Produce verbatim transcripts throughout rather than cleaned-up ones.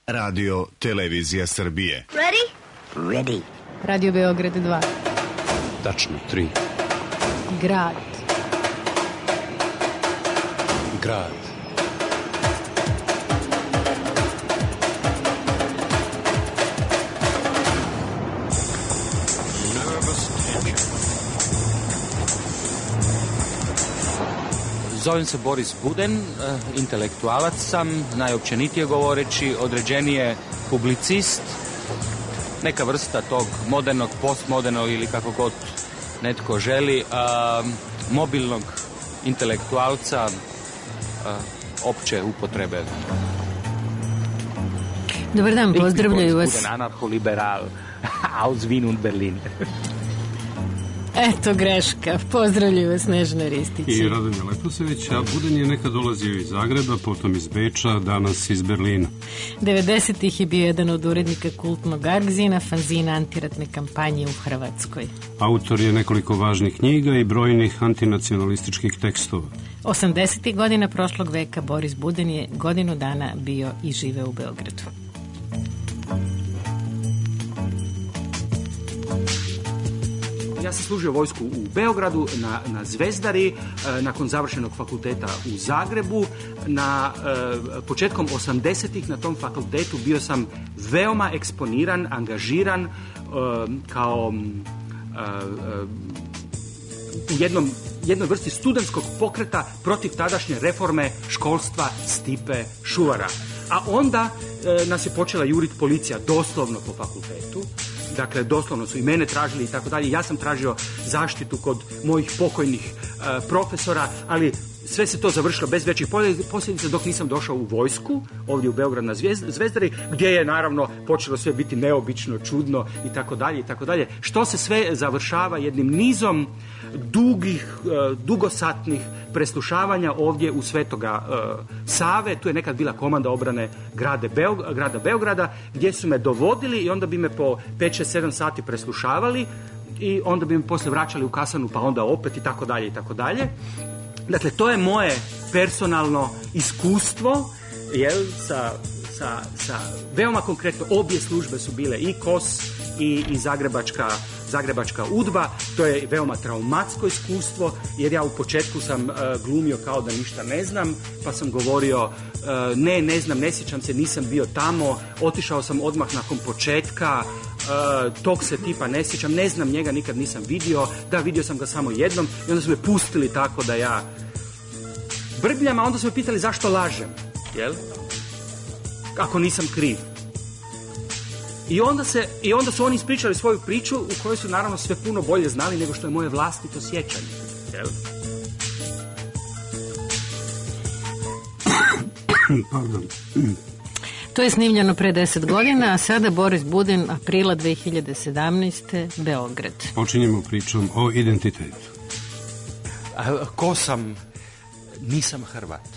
Radio Televizija Srbije. Ready? Ready. Radio Beograd dva. Tačno tri. Grad. Grad. Zovem se Boris Buden, intelektualac sam, najopćenitije govoreći, određenije publicist, neka vrsta tog modernog, postmodernog ili kako god netko želi, a, mobilnog intelektualca a, opće upotrebe. Dobar dan, pozdravljaju vas. Buden, anarcho-liberal, aus Wien und Berlin. Eto greška, pozdravljaju vas Snežana Ristić. I Radomir Leposević, a Buden je nekad dolazio iz Zagreba, potom iz Beča, danas iz Berlina. devedesetih je bio jedan od urednika kultnog Argzina, fanzina antiratne kampanje u Hrvatskoj. Autor je nekoliko važnih knjiga i brojnih antinacionalističkih tekstova. osamdesetih godina prošlog veka Boris Buden je godinu dana bio i žive u Beogradu. Ja sam služio vojsku u Beogradu, na, na Zvezdari, e, nakon završenog fakulteta u Zagrebu. Na e, početkom osamdesetih na tom fakultetu bio sam veoma eksponiran, angažiran e, kao e, e, u jednom, jednoj vrsti studentskog pokreta protiv tadašnje reforme školstva Stipe Šuvara. A onda e, nas je počela juriti policija doslovno po fakultetu. Dakle, doslovno su i mene tražili i tako dalje. Ja sam tražio zaštitu kod mojih pokojnih uh, profesora, ali sve se to završilo bez većih posljedica dok nisam došao u vojsku, ovdje u Beograd na Zvezdari, gdje je naravno počelo sve biti neobično, čudno i tako dalje i tako dalje. Što se sve završava jednim nizom dugih, uh, dugosatnih preslušavanja ovdje u Svetoga uh, Save. Tu je nekad bila komanda obrane grade Beog- grada Beograda, gdje su me dovodili i onda bi me po pet šest sedam sati preslušavali i onda bi me poslije vraćali u kasarnu pa onda opet i tako dalje i tako dalje. Dakle, to je moje personalno iskustvo, jel, sa, sa, sa veoma konkretno, obje službe su bile i K O S i, i Zagrebačka Zagrebačka udba. To je veoma traumatsko iskustvo, jer ja u početku sam uh, glumio kao da ništa ne znam, pa sam govorio uh, ne, ne znam, ne sjećam se, nisam bio tamo, otišao sam odmah nakon početka, uh, tog se tipa ne sjećam, ne znam njega, nikad nisam vidio, da, vidio sam ga samo jednom i onda su me pustili tako da ja brbljam, a onda su me pitali zašto lažem, jel? Ako nisam kriv. I onda, se, I onda su oni ispričali svoju priču u kojoj su naravno sve puno bolje znali nego što je moje vlastito sjećanje. Jel? Pardon. To je snimljeno pre deset godina, a sada Boris Buden, aprila dve hiljade sedamnaeste. Beograd. Počinjemo pričom o identitetu. A, ko sam? Nisam Hrvat.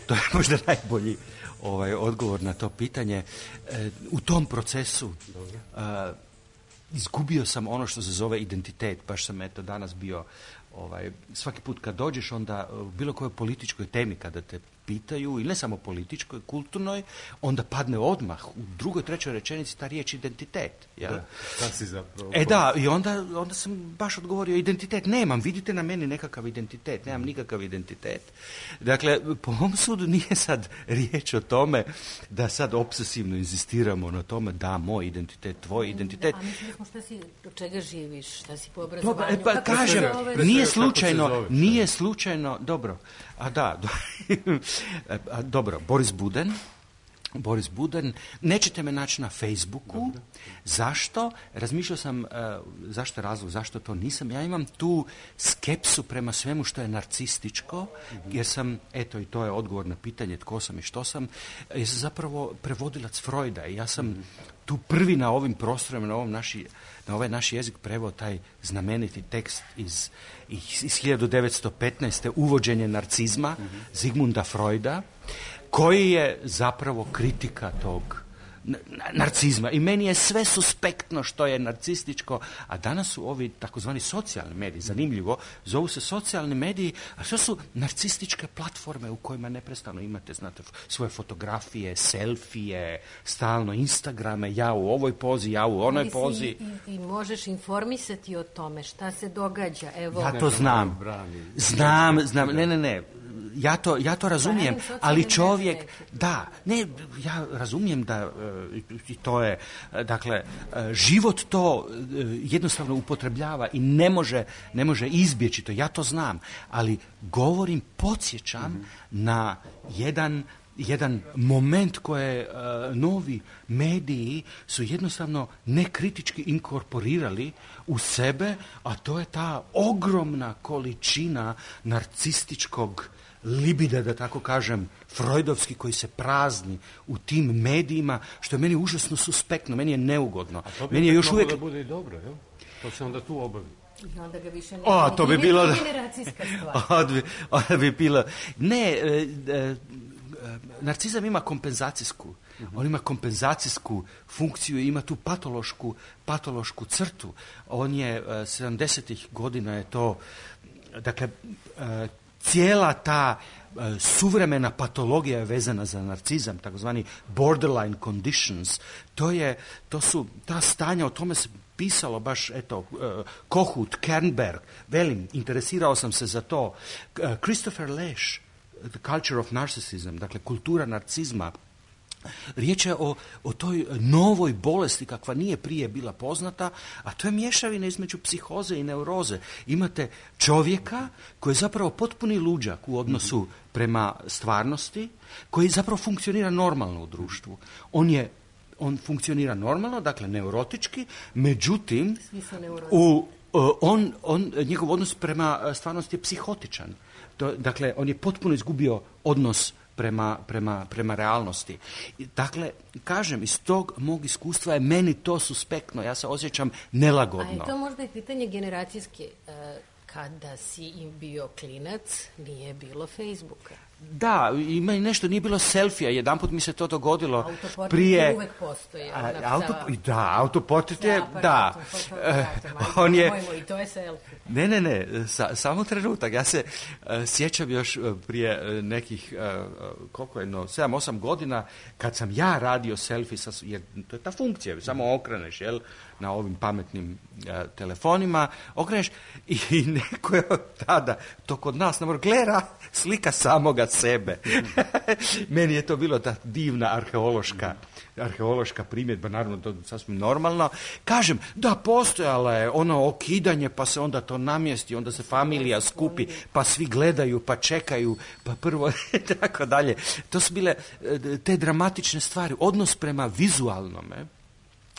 To je možda najbolji ovaj odgovor na to pitanje. E, u tom procesu a, izgubio sam ono što se zove identitet. Baš sam eto danas bio ovaj, svaki put kad dođeš onda u bilo kojoj političkoj temi kada te pitaju, ili ne samo političkoj, kulturnoj, onda padne odmah u drugoj, trećoj rečenici ta riječ identitet. Ja? Da, šta si zapravo? E da, i onda, onda sam baš odgovorio, identitet nemam, vidite na meni nekakav identitet, nemam nikakav identitet. Dakle, po mom sudu nije sad riječ o tome da sad obsesivno inzistiramo na tome da, moj identitet, tvoj identitet. Da, a mislim smo šta si, od čega živiš, šta si po obrazovanju? Pa, pa kažem, nije slučajno, nije slučajno, dobro, a da, do, a, dobro, Boris Buden, Boris Buden, nećete me naći na Facebooku. Dobre. Zašto? Razmišljao sam, uh, zašto je razlog, zašto to nisam. Ja imam tu skepsu prema svemu što je narcističko, mm-hmm. jer sam, eto i to je odgovor na pitanje tko sam i što sam, jer sam zapravo prevodilac Freuda i ja sam mm-hmm. tu prvi na ovim prostorima, na ovom naši, na ovaj naš jezik preveo taj znameniti tekst iz, iz hiljadu devetsto petnaeste. Uvođenje narcizma, mm-hmm. Zigmunda Freuda, koji je zapravo kritika tog narcizma. I meni je sve suspektno što je narcističko, a danas su ovi takozvani socijalni mediji, zanimljivo, zovu se socijalni mediji, a što su narcističke platforme u kojima neprestano imate, znate, svoje fotografije, selfije, stalno Instagrame, ja u ovoj pozi, ja u onoj pozi. I, i možeš informisati o tome šta se događa. Evo, ja to znam. Znam, znam, ne, ne, ne. Ja to, ja to razumijem, ali čovjek, da, ne, ja razumijem da i to je, dakle, život to jednostavno upotrebljava i ne može, ne može izbjeći to, ja to znam, ali govorim, podsjećam mm-hmm. na jedan jedan moment koje uh, novi mediji su jednostavno nekritički inkorporirali u sebe, a to je ta ogromna količina narcističkog libida, da tako kažem, freudovski, koji se prazni u tim medijima, što je meni užasno suspektno, meni je neugodno. A to bi meni je još uvijek da bude i dobro, jel? To se onda tu obavi. I onda ga više ne... O, to bi bilo... generacijska stvar. bi, onda bi bilo... Ne, e, e, narcizam ima kompenzacijsku. Uh-huh. On ima kompenzacijsku funkciju i ima tu patološku, patološku crtu. On je uh, sedamdesetih godina je to, dakle, uh, cijela ta uh, suvremena patologija je vezana za narcizam, takozvani borderline conditions. To je, to su ta stanja, o tome se pisalo baš, eto, uh, Kohut, Kernberg, velim, interesirao sam se za to. Uh, Christopher Lasch, The Culture of Narcissism, dakle kultura narcizma. Riječ je o, o toj novoj bolesti kakva nije prije bila poznata, a to je mješavina između psihoze i neuroze. Imate čovjeka koji je zapravo potpuni luđak u odnosu prema stvarnosti, koji zapravo funkcionira normalno u društvu. On je on funkcionira normalno, dakle neurotički, međutim u, on, on, njegov odnos prema stvarnosti je psihotičan. To, dakle, on je potpuno izgubio odnos prema, prema, prema realnosti. Dakle, kažem, iz tog mog iskustva je meni to suspektno. Ja se osjećam nelagodno. A je to možda i pitanje generacijske. Kada si im bio klinac, nije bilo Facebooka. Da, ima i nešto, nije bilo selfija. Jedanput mi se to dogodilo autoportret prije... uvek postoji. Auto, da, autoportret je, da. On je... I to je selfie. Ne, ne, ne, sa, samo trenutak. Ja se uh, sjećam još uh, prije uh, nekih, uh, koliko je, no, sedam, osam godina, kad sam ja radio selfie, sa, jer to je ta funkcija, samo okreneš, jel, na ovim pametnim uh, telefonima, okreneš i, i neko je tada, to kod nas, na gleda slika samoga sebe. Meni je to bilo ta divna arheološka, arheološka primjedba, naravno to sasvim normalno. Kažem, da, postojala je ono okidanje, pa se onda to namjesti, onda se familija skupi, pa svi gledaju, pa čekaju, pa prvo, tako dalje. To su bile te dramatične stvari. Odnos prema vizualnome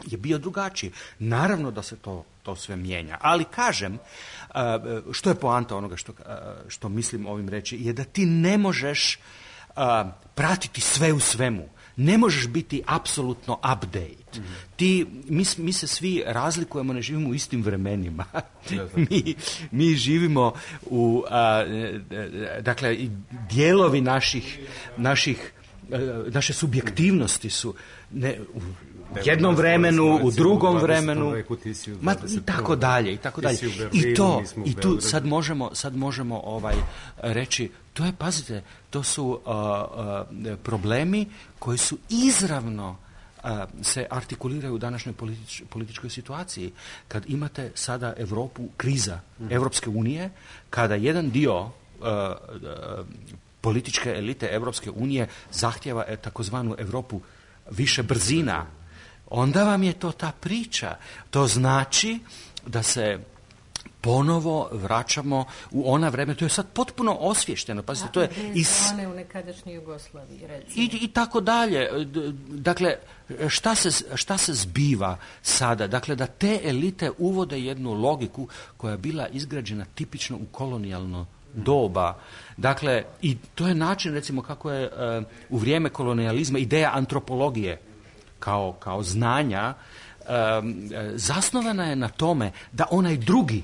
je bio drugačiji. Naravno da se to, to sve mijenja. Ali kažem, što je poanta onoga što, što mislim ovim reći, je da ti ne možeš pratiti sve u svemu. Ne možeš biti apsolutno update. Mm-hmm. Ti, mi, mi se svi razlikujemo, ne živimo u istim vremenima. mi, mi živimo u, a, dakle, dijelovi naših, naših, naše subjektivnosti su ne, u jednom vremenu, u drugom vremenu, ma, i tako dalje, i tako dalje. I to, i tu sad možemo, sad možemo ovaj, reći, to je, pazite, to su uh, uh, problemi koji su izravno uh, se artikuliraju u današnjoj politič, političkoj situaciji. Kad imate sada Europu, kriza mm. Evropske unije, kada jedan dio uh, uh, političke elite Evropske unije zahtjeva e, takozvanu Europu više brzina, onda vam je to ta priča. To znači da se ponovo vraćamo u ona vremena. To je sad potpuno osvješteno. Pazite, to je iz one u nekadašnjoj Jugoslaviji, recimo. I, i tako dalje. Dakle, šta se, šta se zbiva sada? Dakle, da te elite uvode jednu logiku koja je bila izgrađena tipično u kolonijalno doba. Dakle, i to je način, recimo, kako je uh, u vrijeme kolonijalizma ideja antropologije kao, kao znanja um, zasnovana je na tome da onaj drugi,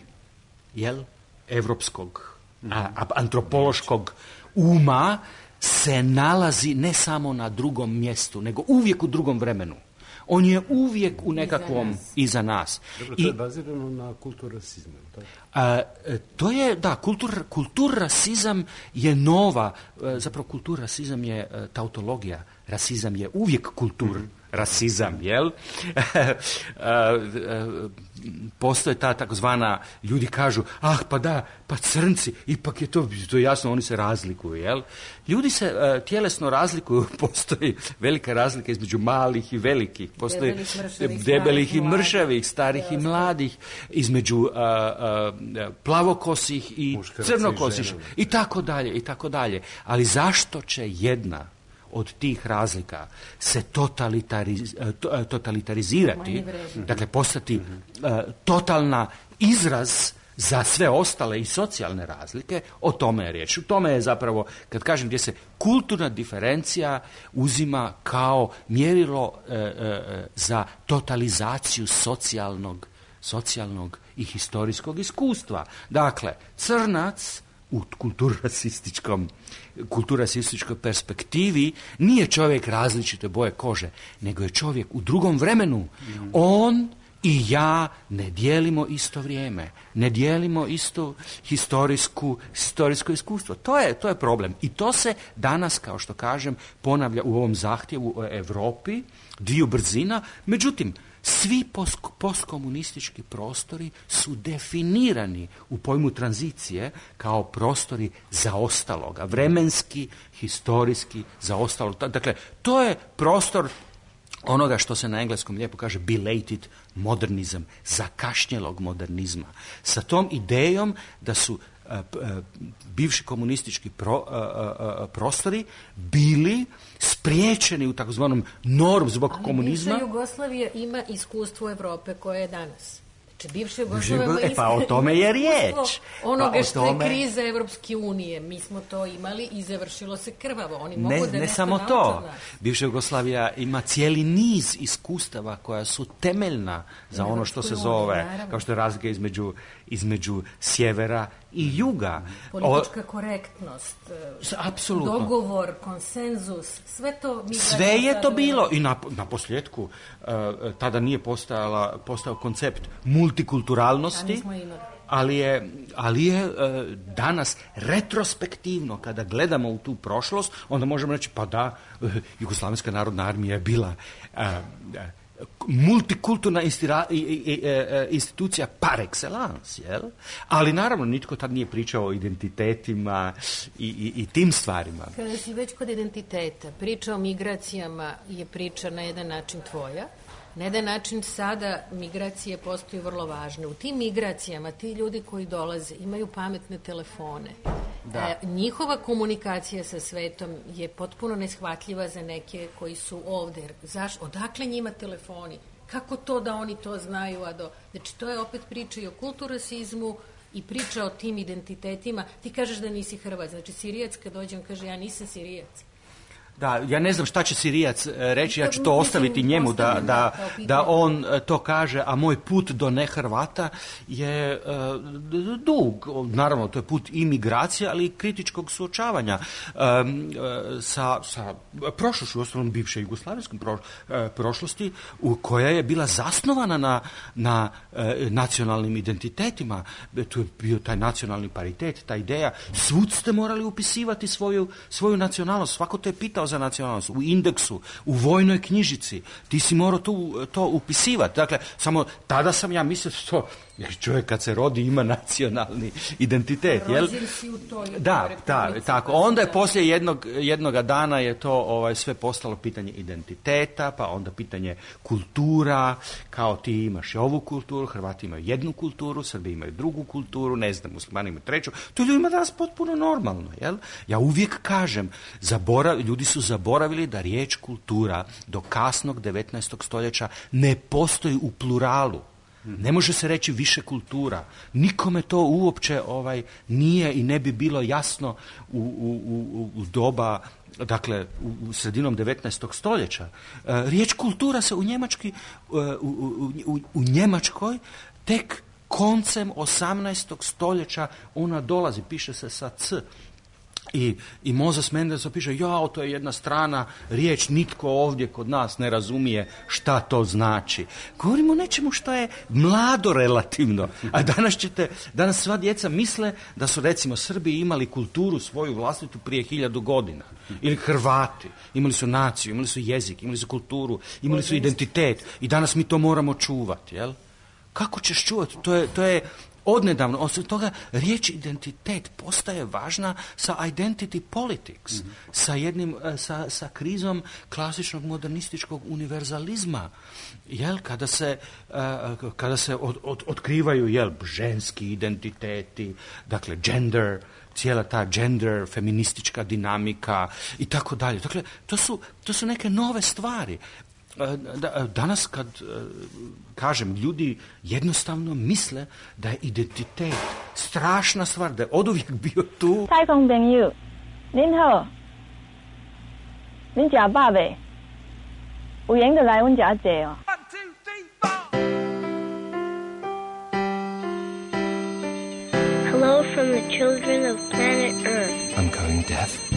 jel, evropskog, a, a, antropološkog uma se nalazi ne samo na drugom mjestu, nego uvijek u drugom vremenu. On je uvijek u nekakvom iza nas. Dobro, to je bazirano na kulturasizmu. A, to je, da, kultur, kulturrasizam je nova, zapravo kulturrasizam je tautologija, rasizam je uvijek kultur. Mm-hmm. Rasizam, jel? Postoje ta takozvana, ljudi kažu, ah, pa da, pa crnci, ipak je to, to je jasno, oni se razlikuju, jel? Ljudi se uh, tjelesno razlikuju, postoji velika razlika između malih i velikih, postoji debelih, mršavih, debelih i mršavih, starih i mladih, između uh, uh, plavokosih i crnokosih, i tako dalje, i tako dalje. Ali zašto će jedna od tih razlika se totalitariz, to, totalitarizirati, dakle postati uh, totalna izraz za sve ostale i socijalne razlike, o tome je riječ. U tome je zapravo, kad kažem, gdje se kulturna diferencija uzima kao mjerilo uh, uh, za totalizaciju socijalnog, socijalnog i historijskog iskustva. Dakle, crnac u kulturrasističkom, kulturrasističkoj perspektivi nije čovjek različite boje kože, nego je čovjek u drugom vremenu. Mm. On i ja ne dijelimo isto vrijeme, ne dijelimo isto historijsku, historijsko iskustvo. To je, to je problem. I to se danas, kao što kažem, ponavlja u ovom zahtjevu o Europi, dviju brzina. Međutim, svi postkomunistički prostori su definirani u pojmu tranzicije kao prostori zaostaloga, vremenski, historijski zaostalog. Dakle, to je prostor onoga što se na engleskom lijepo kaže belated modernizam, zakašnjelog modernizma. Sa tom idejom da su uh, uh, bivši komunistički pro, uh, uh, prostori bili spriječeni u takozvanom norm zbog ali komunizma. Bivša Jugoslavija ima iskustvo Evrope koje je danas. Znači, bivša Jugoslavija ima e, pa o tome je riječ. Onoga pa što tome... je kriza Evropske unije. Mi smo to imali i završilo se krvavo. Oni ne, mogu da ne samo to. Bivša Jugoslavija ima cijeli niz iskustava koja su temeljna za ono što se zove, unije, kao što je razlika između, između sjevera i juga. Politička o, korektnost, apsolutno. Dogovor, konsenzus, sve to... Mi sve je to bilo. I na, na posljedku uh, tada nije postojala, postojao koncept multikulturalnosti, ali je, ali je uh, danas retrospektivno, kada gledamo u tu prošlost, onda možemo reći, pa da, uh, Jugoslavenska narodna armija je bila uh, uh, multikulturna istira, i, i, i, institucija par excellence, jel? Ali naravno nitko tad nije pričao o identitetima i, i, i tim stvarima. Kada si već kod identiteta, priča o migracijama je priča na jedan način tvoja, na jedan način sada migracije postaju vrlo važne. U tim migracijama ti ljudi koji dolaze imaju pametne telefone. Da. E, njihova komunikacija sa svetom je potpuno neshvatljiva za neke koji su ovdje. Zaš, odakle njima telefoni? Kako to da oni to znaju? A do... Znači, to je opet priča i o kulturasizmu i priča o tim identitetima. Ti kažeš da nisi Hrvat. Znači, Sirijac kad dođem kaže ja nisam Sirijac. Da, ja ne znam šta će Sirijac reći, ja ću to ostaviti njemu da, da, da on to kaže, a moj put do nehrvata je uh, dug. Naravno, to je put imigracije, ali i kritičkog suočavanja um, uh, sa, sa prošlošću, osnovnom bivše jugoslavijskom pro, uh, prošlosti, u koja je bila zasnovana na, na uh, nacionalnim identitetima. Tu je bio taj nacionalni paritet, ta ideja. Svud ste morali upisivati svoju, svoju nacionalnost. Svako te je pitao za nacionalnost, u indeksu, u vojnoj knjižici, ti si morao to, to upisivati. Dakle, samo tada sam ja mislio to, jer čovjek kad se rodi ima nacionalni identitet, jel? Da, da, tako. Onda je poslije jednog, jednoga dana je to ovaj, sve postalo pitanje identiteta, pa onda pitanje kultura, kao ti imaš i ovu kulturu, Hrvati imaju jednu kulturu, Srbi imaju drugu kulturu, ne znam, Muslimani imaju treću. To je ljudima danas potpuno normalno, jel? Ja uvijek kažem, zaborav, ljudi su zaboravili da riječ kultura do kasnog devetnaestog stoljeća ne postoji u pluralu. Ne može se reći više kultura. Nikome to uopće ovaj, nije i ne bi bilo jasno u, u, u, u doba, dakle, u, u sredinom devetnaestog stoljeća. E, riječ kultura se u, Njemački, u, u, u, u Njemačkoj tek koncem osamnaestog stoljeća ona dolazi, piše se sa C. I, i Moses Mendelssohn piše, jao, to je jedna strana riječ, nitko ovdje kod nas ne razumije šta to znači. Govorimo o nečemu što je mlado relativno. A danas ćete, danas sva djeca misle da su recimo Srbi imali kulturu svoju vlastitu prije hiljadu godina. Ili Hrvati. Imali su naciju, imali su jezik, imali su kulturu, imali su identitet. I danas mi to moramo čuvati, jel? Kako ćeš čuvati? To je, to je odnedavno, osim toga, riječ identitet postaje važna sa identity politics, mm-hmm. sa jednim, sa, sa krizom klasičnog modernističkog univerzalizma. Jel, kada se, uh, kada se od, od, otkrivaju, jel, ženski identiteti, dakle, gender, cijela ta gender, feministička dinamika i tako dalje. Dakle, to su, to su neke nove stvari. Danas kad kažem, ljudi jednostavno misle da je identitet strašna stvar, da je oduvijek bio tu. Hello from the children of planet Earth. I'm going deaf.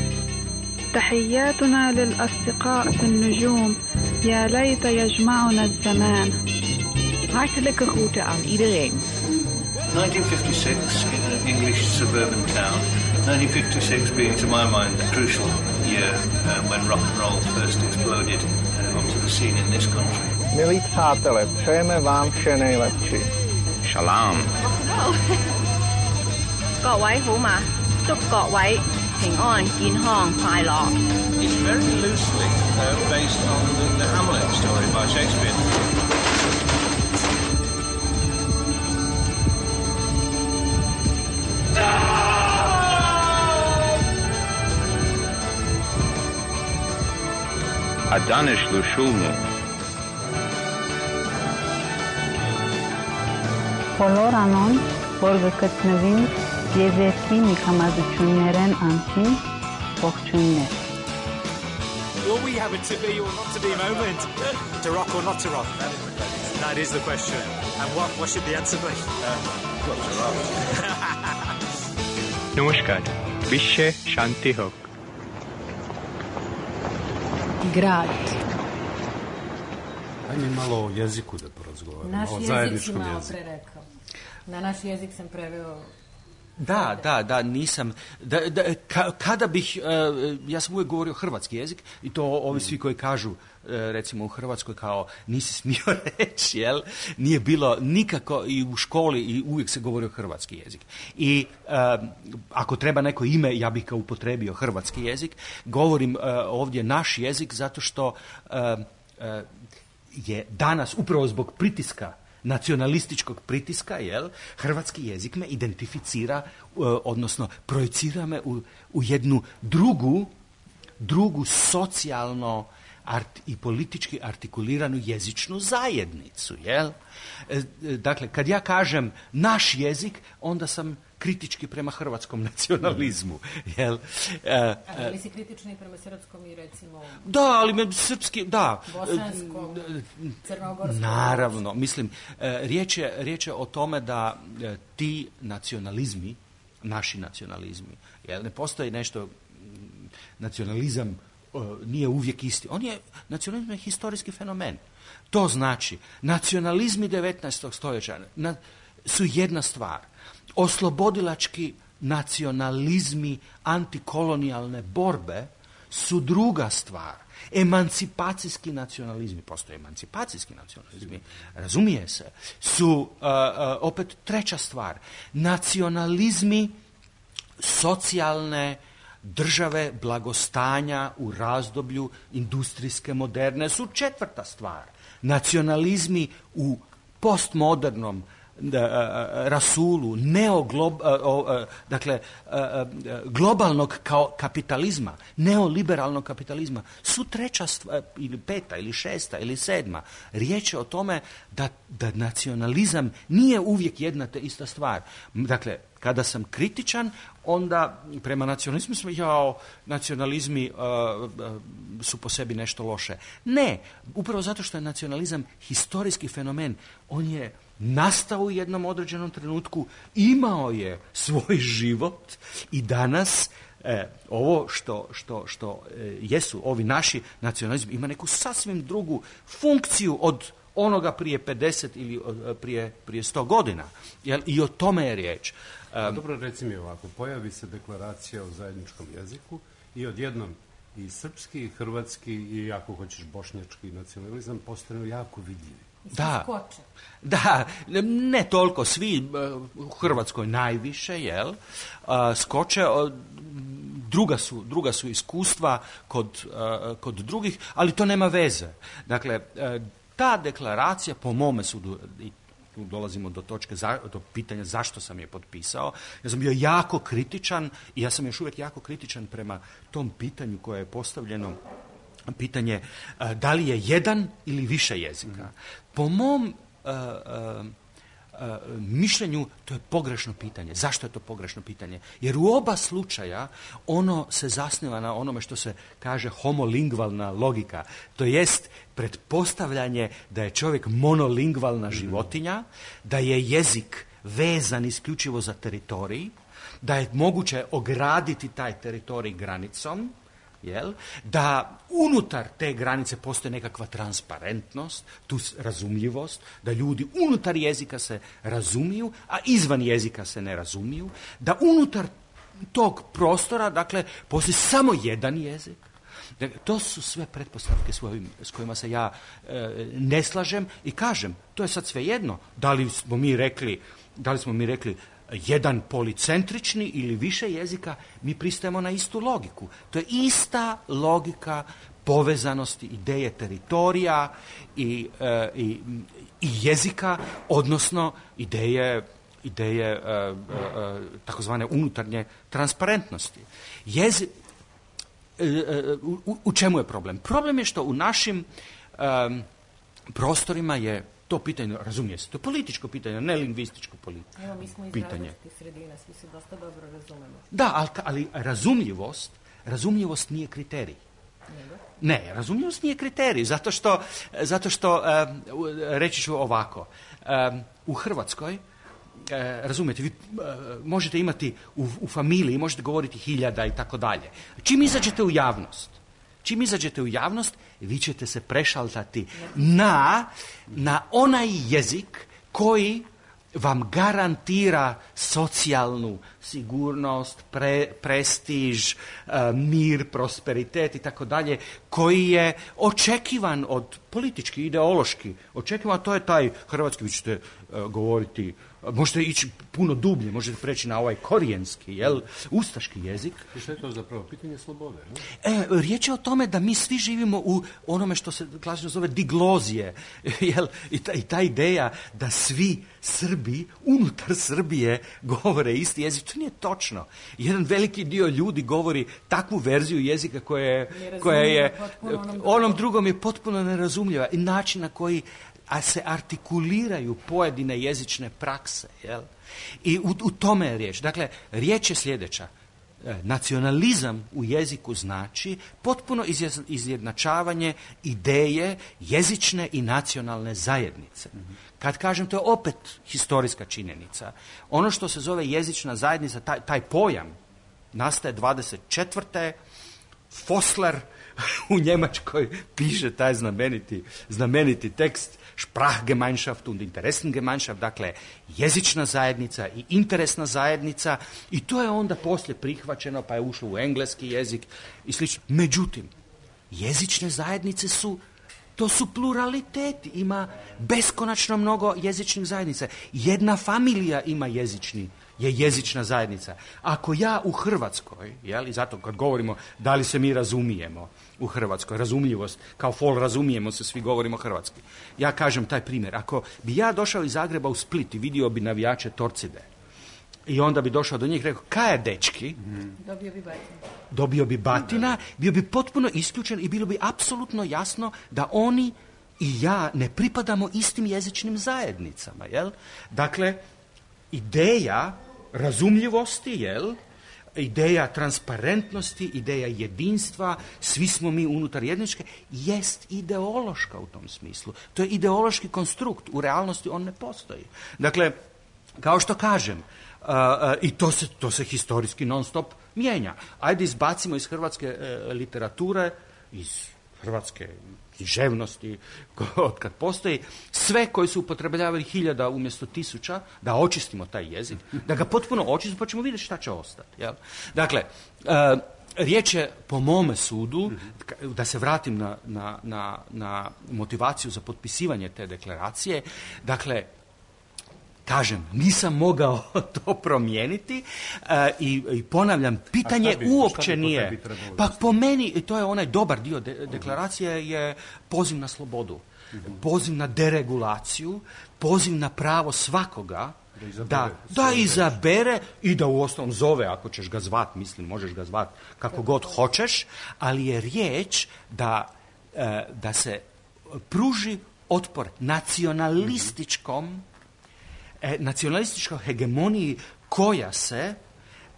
تحياتنا للأصدقاء في النجوم يا ليت يجمعنا الزمان. Hartelijke groeten aan iedereen. nineteen fifty-six in an English suburban town. nineteen fifty-six being, to my mind, a crucial year uh, when rock and roll first exploded uh, onto the scene in this country. Milí přátelé, přejeme vám vše nejlepší. Shalom. 各位好嗎？祝各位平安、健康、快樂。 It's very loosely uh, based on the, the Hamlet story by Shakespeare. Adanish Lushulmu. Բոլորանոն, որ գտնվին Եզերքի միքամազություններեն անցին, ողջույններ. Will we have a to be or not to be moment? To rock or not to rock? That is the question. And what, what should the answer be? Uh, not to rock. Namaskar. Vishe Shanti Hok. Grad. Ajme malo o jeziku da porazgovaramo. Naš jezik si malo prerekao. Na naš jezik sam preveo. Da, da, da, nisam. Da, da, ka, kada bih, uh, ja sam uvijek govorio hrvatski jezik i to ovi svi koji kažu, uh, recimo u Hrvatskoj kao nisi smio reći, jel? Nije bilo nikako i u školi i uvijek se govorio hrvatski jezik. I uh, ako treba neko ime, ja bih ga upotrebio hrvatski jezik. Govorim uh, ovdje naš jezik zato što uh, uh, je danas upravo zbog pritiska nacionalističkog pritiska, jel, hrvatski jezik me identificira, uh, odnosno projicira me u, u jednu drugu, drugu socijalno art, i politički artikuliranu jezičnu zajednicu, jel? E, dakle, kad ja kažem naš jezik, onda sam kritički prema hrvatskom nacionalizmu, jel? E, ali li si kritični prema srpskom i recimo... Da, ali me srpski, da. Bosanskom, crnogorskom... Naravno, mislim, riječ je, riječ je o tome da ti nacionalizmi, naši nacionalizmi, jel, ne postoji nešto, nacionalizam nije uvijek isti. On je, nacionalizam je historijski fenomen. To znači, nacionalizmi devetnaestog stoljeća na, su jedna stvar. Oslobodilački nacionalizmi antikolonijalne borbe su druga stvar. Emancipacijski nacionalizmi, postoje emancipacijski nacionalizmi, razumije se, su uh, uh, opet treća stvar. Nacionalizmi socijalne države blagostanja u razdoblju industrijske moderne su četvrta stvar. Nacionalizmi u postmodernom rasulu, neoglob, dakle, globalnog kapitalizma, neoliberalnog kapitalizma, su treća stvar, ili peta, ili šesta, ili sedma. Riječ je o tome da, da nacionalizam nije uvijek jedna te ista stvar. Dakle, kada sam kritičan, onda prema nacionalizmu smo, jao, nacionalizmi uh, uh, su po sebi nešto loše. Ne, upravo zato što je nacionalizam historijski fenomen. On je nastao u jednom određenom trenutku, imao je svoj život i danas E, ovo što, što, što e, jesu ovi naši nacionalizmi ima neku sasvim drugu funkciju od onoga prije pedeset ili uh, prije, prije sto godina. Jel? I o tome je riječ. Um, Dobro, reci mi ovako, pojavi se deklaracija o zajedničkom jeziku i odjednom i srpski, i hrvatski, i ako hoćeš bošnjački nacionalizam postanu jako vidljivi. Da, da, ne toliko svi, u Hrvatskoj najviše, jel, uh, skoče, uh, druga su, druga su iskustva kod, uh, kod drugih, ali to nema veze. Dakle, uh, ta deklaracija, po mome sudu, i tu dolazimo do točke, za, do pitanja zašto sam je potpisao, ja sam bio jako kritičan i ja sam još uvijek jako kritičan prema tom pitanju koje je postavljeno, pitanje uh, da li je jedan ili više jezika. Mm-hmm. Po mom uh, uh, uh, mišljenju to je pogrešno pitanje. Zašto je to pogrešno pitanje? Jer u oba slučaja ono se zasniva na onome što se kaže homolingvalna logika. To jest pretpostavljanje da je čovjek monolingvalna životinja, da je jezik vezan isključivo za teritorij, da je moguće ograditi taj teritorij granicom, jel? Da unutar te granice postoji nekakva transparentnost, tu razumljivost, da ljudi unutar jezika se razumiju, a izvan jezika se ne razumiju, da unutar tog prostora, dakle, postoji samo jedan jezik. Dakle, to su sve pretpostavke s, ovim, s kojima se ja e, ne slažem i kažem, to je sad svejedno. Da li smo mi rekli, da li smo mi rekli jedan policentrični ili više jezika, mi pristajemo na istu logiku. To je ista logika povezanosti ideje teritorija i, e, i, i jezika, odnosno ideje, ideje e, e, takozvane unutarnje transparentnosti. Jezi, e, e, u, u čemu je problem? Problem je što u našim e, prostorima je to pitanje, razumije se, to je političko pitanje, ne lingvističko pitanje. Evo, mi smo iz različitih sredina, svi se dosta dobro razumemo. Da, ali, ali razumljivost, razumljivost nije kriterij. Nego? Ne, razumljivost nije kriterij, zato što, zato što um, reći ću ovako, um, u Hrvatskoj, uh, razumijete, vi uh, možete imati u, u familiji, možete govoriti hiljada i tako dalje. Čim izađete u javnost, Čim izađete u javnost, vi ćete se prešaltati na, na onaj jezik koji vam garantira socijalnu sigurnost, pre, prestiž, uh, mir, prosperitet i tako dalje, koji je očekivan od politički, ideološki, očekivan, to je taj hrvatski, vi ćete uh, govoriti, možete ići puno dublje, možete preći na ovaj korijenski, jel, ustaški jezik. I što je to zapravo? Pitanje slobode, ne? E, riječ je o tome da mi svi živimo u onome što se klasično zove diglozije, jel, i ta, i ta ideja da svi Srbi unutar Srbije govore isti jezik, to nije točno. Jedan veliki dio ljudi govori takvu verziju jezika koja je, koja je onom, onom drugom je potpuno nerazumljiva i način na koji a se artikuliraju pojedine jezične prakse, jel? I u, u tome je riječ. Dakle, riječ je sljedeća. Nacionalizam u jeziku znači potpuno izjednačavanje ideje jezične i nacionalne zajednice. Kad kažem, to je opet historijska činjenica. Ono što se zove jezična zajednica, taj, taj pojam nastaje dvadeset četvrte Fossler u Njemačkoj piše taj znameniti, znameniti tekst Sprachgemeinschaft und Interessengemeinschaft, dakle jezična zajednica i interesna zajednica, i to je onda poslije prihvaćeno pa je ušlo u engleski jezik i slično. Međutim, jezične zajednice su, to su pluraliteti, ima beskonačno mnogo jezičnih zajednica. Jedna familija ima jezični, je jezična zajednica. Ako ja u Hrvatskoj, jel, i zato kad govorimo da li se mi razumijemo u Hrvatskoj, razumljivost, kao fol razumijemo se, svi govorimo hrvatski. Ja kažem taj primjer. Ako bi ja došao iz Zagreba u Split i vidio bi navijače Torcide i onda bi došao do njih i rekao, kaj je dečki? Dobio bi batina. Dobio bi batina, bio bi potpuno isključen i bilo bi apsolutno jasno da oni i ja ne pripadamo istim jezičnim zajednicama, jel? Dakle, ideja razumljivosti, jel? Ideja transparentnosti, ideja jedinstva, svi smo mi unutar jedničke, jest ideološka u tom smislu. To je ideološki konstrukt, u realnosti on ne postoji. Dakle, kao što kažem, uh, uh, i to se, to se historijski non stop mijenja. Ajde izbacimo iz hrvatske e, literature, iz hrvatske književnosti, od kad postoji, sve koji su upotrebljavali hiljada umjesto tisuća, da očistimo taj jezik, da ga potpuno očistimo, pa ćemo vidjeti šta će ostati. Jel? Dakle, e, riječ je, po mome sudu, da se vratim na, na, na, na motivaciju za potpisivanje te deklaracije, dakle, kažem, nisam mogao to promijeniti uh, i, i ponavljam, pitanje bi, uopće nije. Pa pa po meni, i to je onaj dobar dio de- deklaracije, je poziv na slobodu, uh-huh. poziv na deregulaciju, poziv na pravo svakoga da izabere, da, da izabere i da uostalom zove, ako ćeš ga zvat, mislim, možeš ga zvat kako god hoćeš, ali je riječ da, uh, da se pruži otpor nacionalističkom uh-huh. nacionalističkoj hegemoniji koja se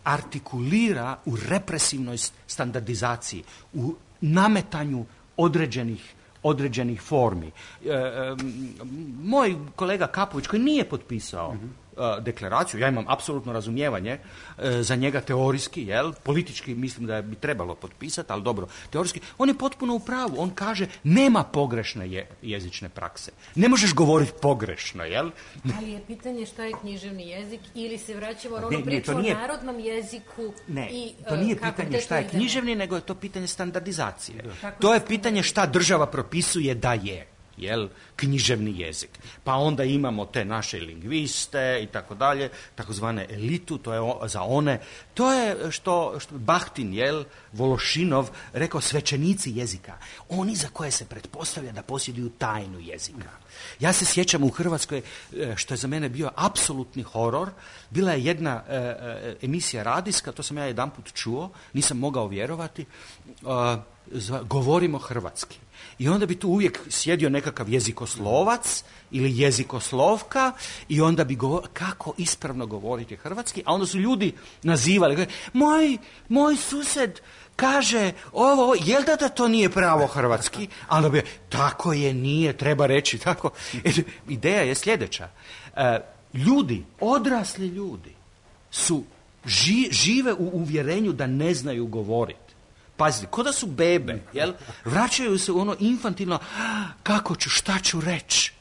artikulira u represivnoj standardizaciji, u nametanju određenih, određenih formi. E, e, moj kolega Kapović, koji nije potpisao mm-hmm. e, deklaraciju, ja imam apsolutno razumijevanje e, za njega teorijski, jel? Politički mislim da bi trebalo potpisati, ali dobro, teorijski, on je potpuno u pravu. On kaže, nema pogrešne je, jezične prakse. Ne možeš govoriti pogrešno, jel? Ali je pitanje šta je književni jezik ili se vraćamo na ne, ono priču nije, o narodnom jeziku. Ne, i, to nije uh, pitanje šta je književni, nego je to pitanje standardizacije. Da. To je pitanje šta država propisuje da je. Jel, književni jezik. Pa onda imamo te naše lingviste i tako dalje, takozvane elitu, to je o, za one, to je što, što Bahtin, jel, Vološinov rekao svećenici jezika. Oni za koje se pretpostavlja da posjeduju tajnu jezika. Ja se sjećam u Hrvatskoj, što je za mene bio apsolutni horor, bila je jedna e, e, emisija radijska, to sam ja jedanput čuo, nisam mogao vjerovati, e, zva, govorimo hrvatski. I onda bi tu uvijek sjedio nekakav jezikoslovac ili jezikoslovka i onda bi govorio kako ispravno govoriti hrvatski, a onda su ljudi nazivali, moj, moj sused kaže ovo, jel da, da to nije pravo hrvatski? A onda bi, tako je, nije, treba reći tako. Ideja je sljedeća. E, ljudi, odrasli ljudi su ži, žive u uvjerenju da ne znaju govoriti. Pazite, ko da su bebe, jel? Vraćaju se u ono infantilno, kako ću, šta ću reći?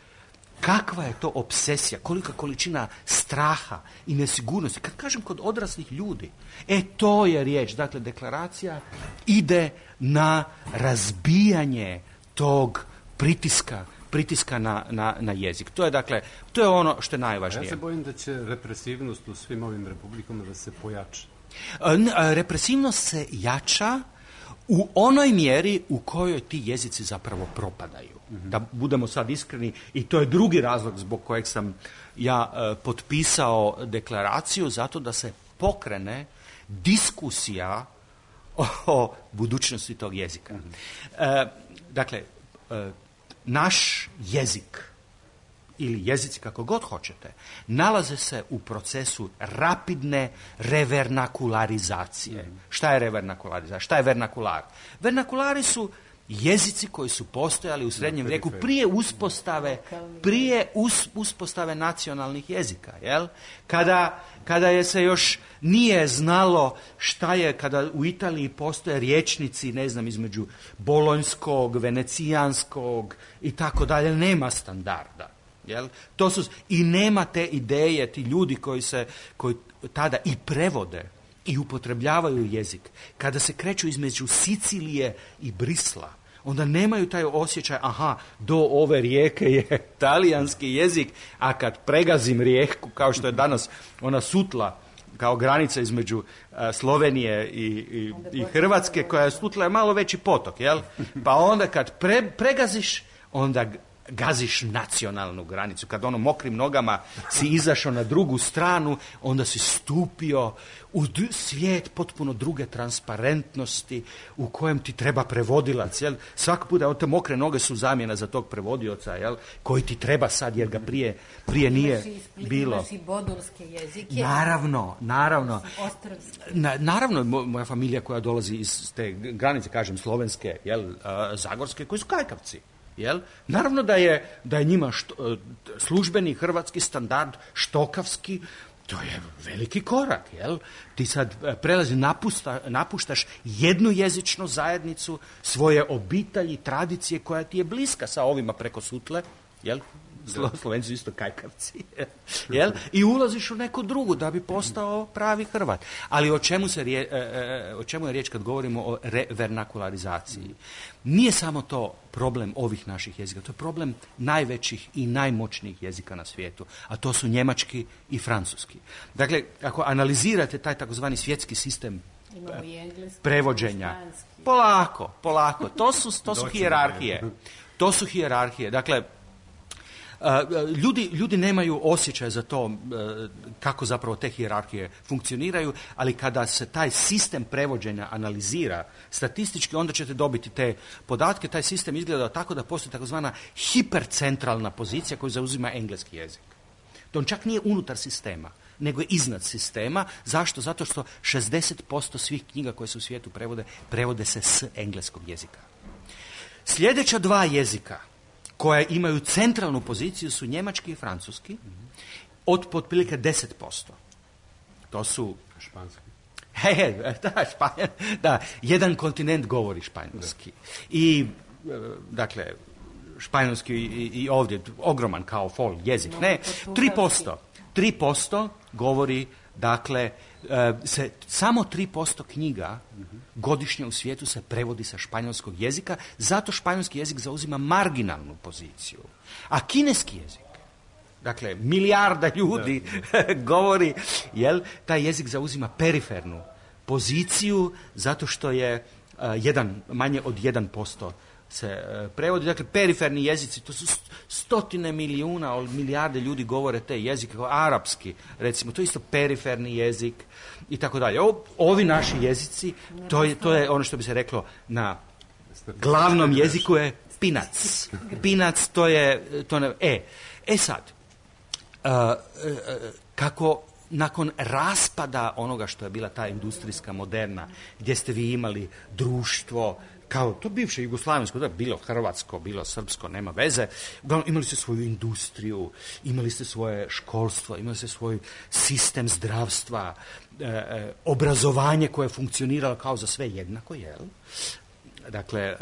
Kakva je to obsesija, kolika količina straha i nesigurnosti. Kad kažem kod odraslih ljudi, e to je riječ. Dakle, deklaracija ide na razbijanje tog pritiska, pritiska na, na, na jezik. To je, dakle, to je ono što je najvažnije. Ja se bojim da će represivnost u svim ovim republikama da se pojača. Represivnost se jača u onoj mjeri u kojoj ti jezici zapravo propadaju. Mm-hmm. Da budemo sad iskreni, i to je drugi razlog zbog kojeg sam ja e, potpisao deklaraciju, zato da se pokrene diskusija o, o budućnosti tog jezika. Mm-hmm. E, dakle, e, naš jezik ili jezici kako god hoćete, nalaze se u procesu rapidne revernakularizacije. Mm. Šta je revernakularizacija? Šta je vernakular? Vernakulari su jezici koji su postojali u srednjem vijeku prije uspostave, prije us, uspostave nacionalnih jezika. Jel? Kada, kada je se još nije znalo šta je, kada u Italiji postoje rječnici, ne znam, između bolonjskog, venecijanskog i tako dalje, nema standarda. Jel? To su, i nema te ideje, ti ljudi koji se koji tada i prevode i upotrebljavaju jezik. Kada se kreću između Sicilije i Brisla, onda nemaju taj osjećaj, aha, do ove rijeke je talijanski jezik, a kad pregazim rijeku, kao što je danas ona Sutla, kao granica između uh, Slovenije i, i, i Hrvatske, koja je Sutla je malo veći potok, jel? Pa onda kad pre, pregaziš, onda gaziš nacionalnu granicu. Kad ono mokrim nogama si izašao na drugu stranu, onda si stupio u svijet potpuno druge transparentnosti u kojem ti treba prevodilac. Jel? Svaki puta te mokre noge su zamjena za tog prevodioca, jel? Koji ti treba sad jer ga prije, prije nije imaš bilo. Imaš i bodulske jezike. Naravno, naravno. Na, naravno, moja familija koja dolazi iz te granice, kažem, slovenske, jel, zagorske, koji su kajkavci. Jel? Naravno da je, da je njima što, službeni hrvatski standard štokavski To je veliki korak, jel? Ti sad prelazi, napusta, napuštaš jednu jezičnu zajednicu, svoje obitelji, tradicije koja ti je bliska sa ovima preko sutle, jel? Slo, Slovenci su isto kajkavci, jel? I ulaziš u neku drugu da bi postao pravi Hrvat. Ali o čemu, se rije, o čemu je riječ kad govorimo o revernakularizaciji? Nije samo to problem ovih naših jezika, to je problem najvećih i najmoćnijih jezika na svijetu, a to su njemački i francuski. Dakle, ako analizirate taj takozvani svjetski sistem prevođenja, polako, polako, to su, to su hijerarhije. To su hijerarhije. Dakle, Uh, ljudi, ljudi nemaju osjećaj za to uh, kako zapravo te hijerarhije funkcioniraju, ali kada se taj sistem prevođenja analizira statistički, onda ćete dobiti te podatke. Taj sistem izgleda tako da postoji takozvana hipercentralna pozicija koju zauzima engleski jezik. To on čak nije unutar sistema, nego je iznad sistema. Zašto? Zato što šezdeset posto svih knjiga koje se u svijetu prevode, prevode se s engleskog jezika. Sljedeća dva jezika koje imaju centralnu poziciju su njemački i francuski, od otprilike deset posto. To su... Španski. He, he, da, španj, da, jedan kontinent govori španjolski. I, dakle, španjolski i, i ovdje, ogroman kao fol jezik. Ne, tri posto. tri posto govori, dakle, se, samo tri posto knjiga godišnje u svijetu se prevodi sa španjolskog jezika, zato španjolski jezik zauzima marginalnu poziciju. A kineski jezik, dakle, milijarda ljudi govori, jel, taj jezik zauzima perifernu poziciju, zato što je uh, jedan, manje od jedan posto se uh, prevodi. Dakle, periferni jezici, to su stotine milijuna, milijarde ljudi govore te jezike, kao arapski, recimo, to je isto periferni jezik i tako dalje. Ovi naši jezici, to je, to je ono što bi se reklo na glavnom jeziku je pinac. Pinac, to je, to ne, e, e sad, uh, uh, kako nakon raspada onoga što je bila ta industrijska moderna, gdje ste vi imali društvo, kao to bivše jugoslavensko, da, bilo hrvatsko, bilo srpsko, nema veze, imali ste svoju industriju, imali ste svoje školstvo, imali ste svoj sistem zdravstva, e, e, obrazovanje koje je funkcioniralo kao za sve jednako, jel? Dakle, e,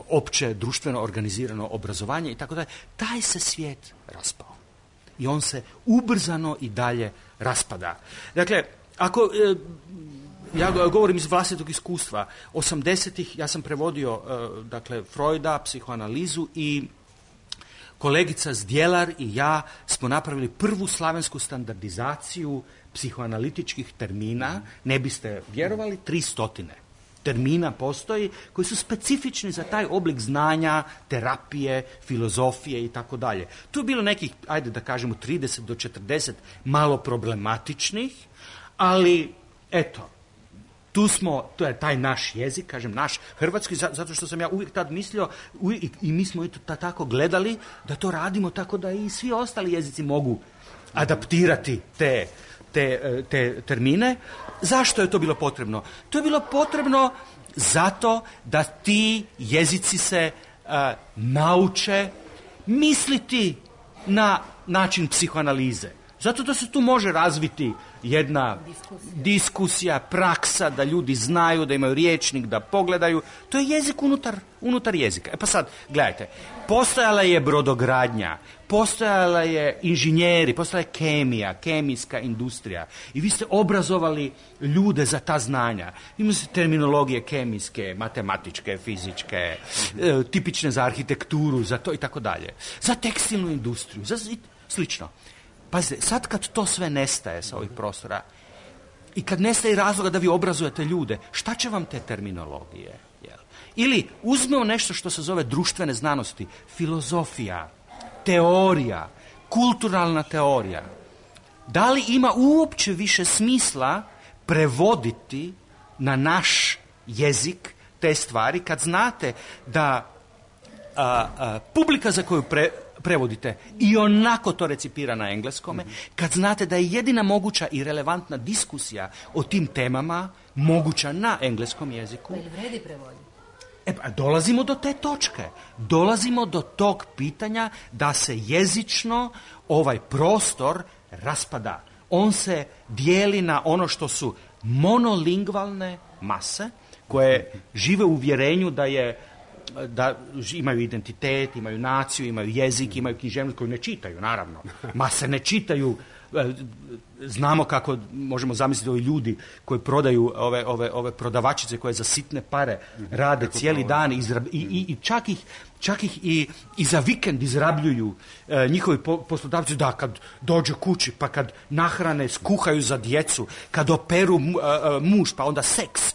opće društveno organizirano obrazovanje i tako dalje. Taj se svijet raspao. I on se ubrzano i dalje raspada. Dakle, ako... E, ja govorim iz vlastitog iskustva. osamdesetih ja sam prevodio uh, dakle, Freuda, psihoanalizu i kolegica Zdjelar i ja smo napravili prvu slavensku standardizaciju psihoanalitičkih termina. Ne biste vjerovali, tri stotine termina postoji koji su specifični za taj oblik znanja, terapije, filozofije i tako dalje. Tu je bilo nekih, ajde da kažemo, trideset do četrdeset malo problematičnih, ali eto, tu smo, to je taj naš jezik, kažem naš hrvatski, zato što sam ja uvijek tad mislio uvijek, i, i mi smo i to tako gledali da to radimo tako da i svi ostali jezici mogu adaptirati te, te, te termine. Zašto je to bilo potrebno? To je bilo potrebno zato da ti jezici se uh, nauče misliti na način psihoanalize. Zato da se tu može razviti jedna diskusija. diskusija, praksa, da ljudi znaju, da imaju rječnik, da pogledaju. To je jezik unutar, unutar jezika. E pa sad, gledajte, postojala je brodogradnja, postojala je inženjeri, postojala je kemija, kemijska industrija. I vi ste obrazovali ljude za ta znanja. Imali ste terminologije kemijske, matematičke, fizičke, e, tipične za arhitekturu, za to i tako dalje. Za tekstilnu industriju, za slično. Pazite, sad kad to sve nestaje sa ovih prostora i kad nestaje razloga da vi obrazujete ljude, šta će vam te terminologije? Jel? Ili uzmemo nešto što se zove društvene znanosti, filozofija, teorija, kulturalna teorija. Da li ima uopće više smisla prevoditi na naš jezik te stvari kad znate da a, a, publika za koju pre, prevodite i onako to recipira na engleskome, kad znate da je jedina moguća i relevantna diskusija o tim temama moguća na engleskom jeziku. Ali vredi prevoditi? E pa, dolazimo do te točke. Dolazimo do tog pitanja da se jezično ovaj prostor raspada On se dijeli na ono što su monolingvalne mase koje žive u uvjerenju da je da imaju identitet, imaju naciju, imaju jezik, imaju književnost koju ne čitaju, naravno. Mase ne čitaju. Znamo kako možemo zamisliti ovi ljudi koji prodaju ove, ove, ove prodavačice koje za sitne pare rade cijeli dan izrab, i, i, i čak ih, čak ih i, i za vikend izrabljuju e, njihovi po, poslodavci, da, kad dođe kući, pa kad nahrane, skuhaju za djecu, kad operu mu, e, muž, pa onda seks.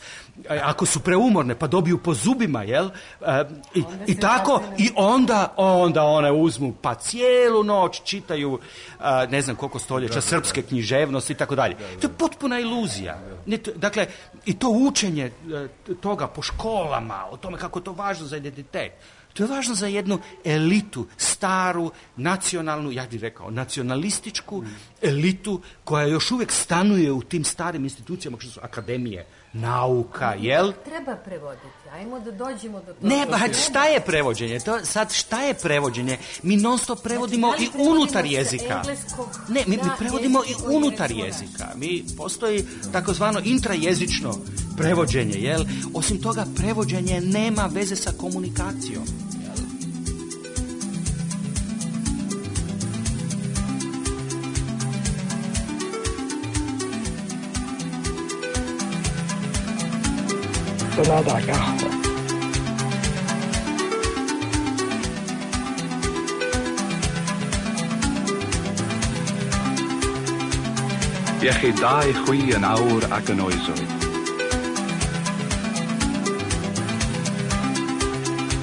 Ako su preumorne, pa dobiju po zubima, jel? E, i, i tako, i onda, onda one uzmu, pa cijelu noć čitaju, a, ne znam koliko stoljeća, srpske književnosti i tako dalje. To je potpuna iluzija. Dakle, i to učenje toga po školama, o tome kako je to važno za identitet, to je važno za jednu elitu, staru, nacionalnu, ja bih rekao, nacionalističku elitu koja još uvijek stanuje u tim starim institucijama što su akademije, nauka, jel? Treba prevoditi. Ajmo da dođemo do toga. Ne, ba, šta je prevođenje? To, sad, šta je prevođenje? Mi non stop prevodimo znači, i unutar jezika. Ne, mi, mi prevodimo i unutar jezika. Mi postoji takozvano intrajezično prevođenje, jel? Osim toga, prevođenje nema veze sa komunikacijom. Sonada kahva. Iechyd da i chwi yn awr ac yn oesoedd.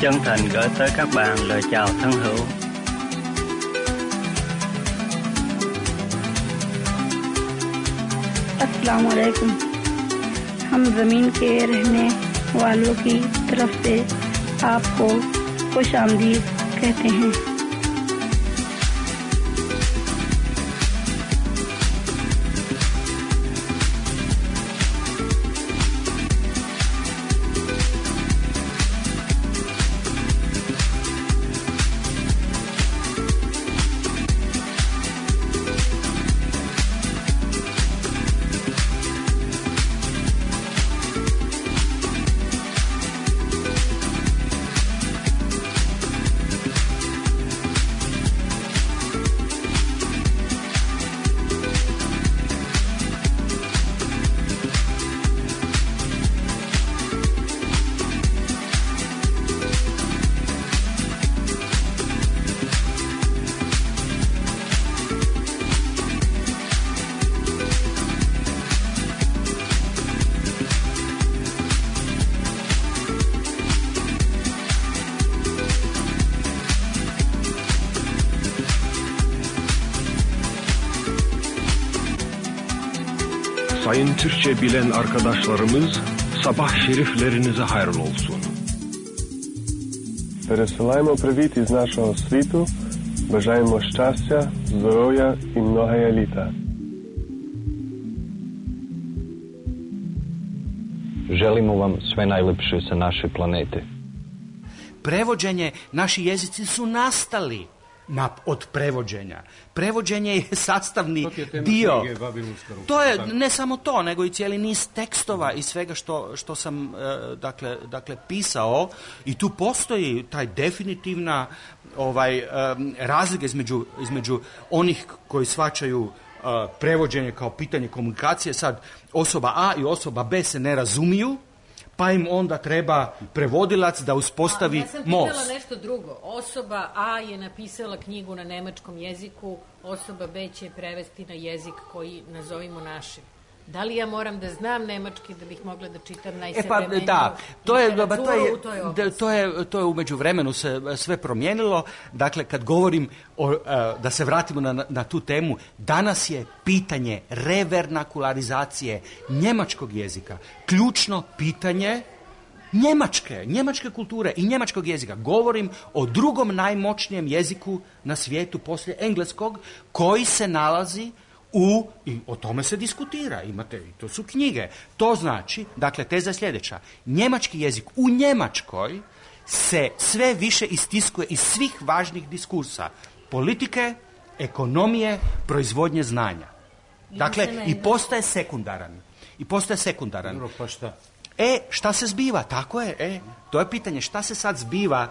Chân thành gửi tới các bạn lời chào thân hữu. अस्सलाम वालेकुम। हम ज़मीन के रहने वालों की तरफ से आपको खुश आमदीद कहते हैं। Sayın Türkçe bilen arkadaşlarımız, sabah şeriflerinize hayırlı olsun. Пересилаємо привіт із нашого світу, бажаємо щастя, здоров'я і многое літа. Želimo vam sve najlepše sa naše planete. Prevođenje, naši jezici su nastali na, od prevođenja. Prevođenje je sastavni to je dio. Knjige, to je ne samo to, nego i cijeli niz tekstova i svega što, što sam e, dakle, dakle pisao, i tu postoji taj definitivna ovaj e, razlika između, između onih koji shvaćaju e, prevođenje kao pitanje komunikacije. Sad osoba A i osoba B se ne razumiju, pa im onda treba prevodilac da uspostavi most. Ja sam pitala nešto drugo. Osoba A je napisala knjigu na nemačkom jeziku, osoba B će prevesti na jezik koji nazovimo našim. Da li ja moram da znam nemački da bih mogla da čitam najsavremeniju e pa, da, to je, ba, to je, u toj oblasti? To je, to je u međuvremenu se sve promijenilo. Dakle, kad govorim o, da se vratimo na, na tu temu, danas je pitanje revernakularizacije njemačkog jezika ključno pitanje njemačke, njemačke kulture i njemačkog jezika. Govorim o drugom najmoćnijem jeziku na svijetu poslije engleskog, koji se nalazi u, i o tome se diskutira, imate, i to su knjige. To znači, dakle, teza je sljedeća. Njemački jezik u Njemačkoj se sve više istiskuje iz svih važnih diskursa. Politike, ekonomije, proizvodnje znanja. Dakle, i postaje sekundaran. I postaje sekundaran. Dobro, pa šta? E, šta se zbiva? Tako je, e. To je pitanje, šta se sad zbiva?